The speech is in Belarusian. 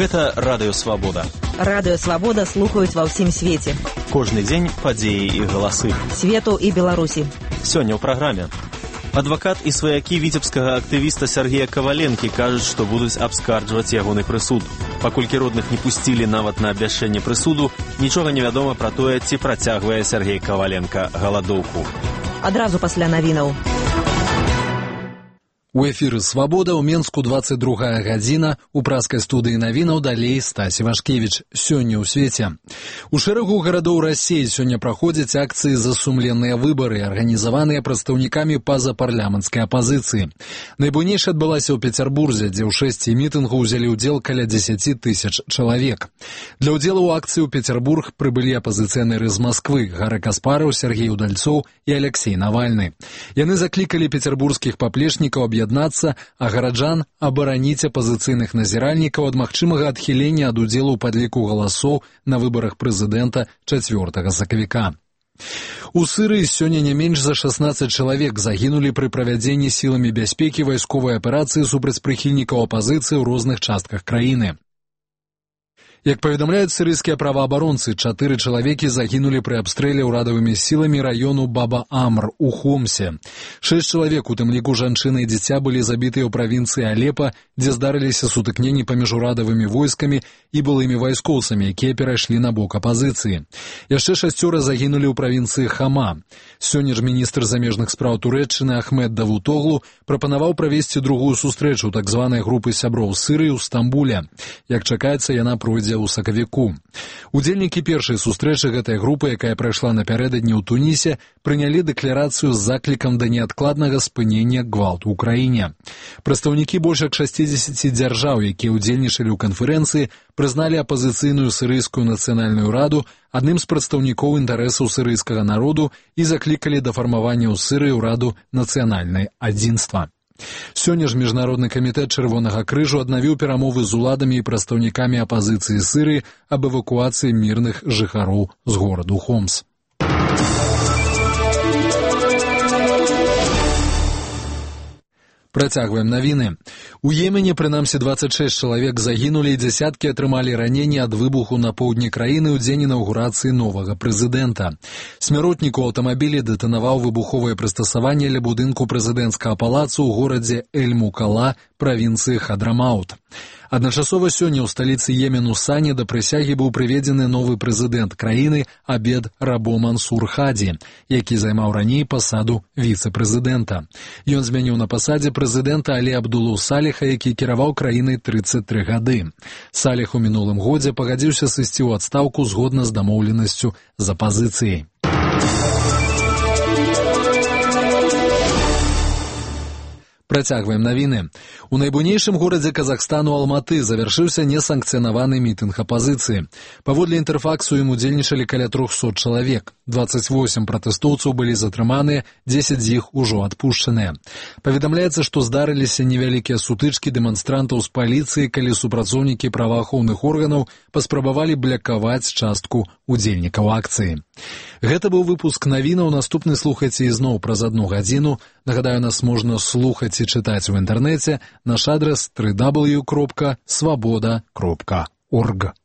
Гэта Радыё Свабода. Радыё Свабода слухаюць ва ўсім свеце. Кожны дзень падзеі і галасы. Свету і Беларусі. Сёння ў праграме. Адвакат і сваякі віцебскага актывіста Сергея Каваленкі кажуць, што будуць абскарджваць ягоны прысуд. Паколькі родных не пусцілі нават на абвяшчэнне прысуду, нічога не вядома пра тое, ці працягвае Сергей Каваленка галадоўку. Адразу пасля навінаў. У эфіры «Свабода» ў Менску 22 гадзіна. У праскай студыі навінаў далей Стась Івашкевіч. Сёння ў свеце. У шэрагу гарадоў Расіі сёння праходзяць акцыі за сумленныя выбары, арганізаваныя прадстаўнікамі пазапарламенцкай апазіцыі. Найбуйнейшая адбылася ў Пецярбурзе, дзе ў 6 мітынгаў узялі ўдзел каля 10 тысяч чалавек. Для ўдзелу ў акцыі ў Пецярбург прыбылі апазіцыянеры з Масквы Гара Каспараў, Сергей Удальцоў і Алексей Навальны. Яны заклікалі пецярбургскіх паплечнікаў аб'яднацца, а гараджан абараніць апазіцыйных назіральнікаў ад магчымага адхілення ад удзелу ў падліку галасоў на выбарах прэзідэнта 4 сакавіка. У Сірыі сёння не менш за 16 чалавек загінулі пры правядзенні сіламі бяспекі вайсковай аперацыі супраць прыхільнікаў апазіцыі ў розных частках краіны. Як паведамляюць сірыйскія праваабаронцы, 4 чалавекі загінулі пры абстрэле ўрадавымі сіламі раёну Баба-Амр у Хомсе. 6 чалавек, у тым ліку жанчыны і дзіця, былі забітыя ў правінцыі Алепа, дзе здарыліся сутыкненні паміж урадавымі войскамі і былымі вайскоўцамі, якія перайшлі на бок апазіцыі. Яшчэ 6 загінулі ў правінцыі Хама. Сёння ж міністр замежных спраў Турэччыны Ахмед Давутоглу прапанаваў правесці другую сустрэчу так званай групы сяброў Сірыі ў Стамбуле. Як чакаецца, яна пройдзе ў сакавіку. Удзельнікі першай сустрэчы гэтай групы, якая прайшла напярэдадні ў Тунісе, прынялі дэкларацыю з заклікам да неадкладнага спынення гвалту ў краіне. Прадстаўнікі больш як 60 дзяржаў, якія ўдзельнічалі ў канферэнцыі, прызналі апазіцыйную сірыйскую нацыянальную раду адным з прадстаўнікоў інтарэсаў сірыйскага народу і заклікалі да фармавання ў Сірыі ўраду нацыянальнай адзінства. Сёння ж Міжнародны камітэт Чырвонага крыжу аднавіў перамовы з уладамі і прадстаўнікамі апазіцыі Сірыі аб эвакуацыі мірных жыхароў з гораду Хомс. Працягваем навіны. У Йемене, прынамсі, 26 чалавек загінулі і дзясяткі атрымалі раненні ад выбуху на поўдні краіны ў дзень інаўгурацыі новага прэзідэнта. Смяротнік у аўтамабілі дэтанаваў выбуховае прыстасаванне ля будынку прэзідэнцкага палацу ў горадзе Эль-Мукала, правінцыі Хадрамаут. Адначасова сёння ў сталіцы Йемену Сані да прысягі быў прыведзены новы прэзідэнт краіны Абед Рабо Мансур Хаді, які займаў раней пасаду віцэ-прэзідэнта. Ён змяніў на пасадзе прэзідэнта Алі Абдулу Саліха, які кіраваў краінай 33 гады. Саліх у мінулым годзе пагадзіўся сысці ў адстаўку згодна з дамоўленасцю з апазіцыяй. Працягваем навіны. У найбуйнейшым горадзе Казахстану Алматы завяршыўся несанкцыянаваны мітынг апазіцыі. Паводле інтэрфаксу ім удзельнічалі каля 300 чалавек. 28 пратэстоўцаў былі затрыманыя, 10 з іх ужо адпушчаныя. Паведамляецца, што здарыліся невялікія сутычкі дэманстрантаў з паліцыі, калі супрацоўнікі праваахоўных органаў паспрабавалі блякаваць частку удзельнікаў акцыі. Гэта быў выпуск навінаў. Наступны слухайце ізноў праз 1 гадзіну. Нагадаю, нас можна слухаць і чытаць у інтэрнэце. Наш адрас www.swaboda.org.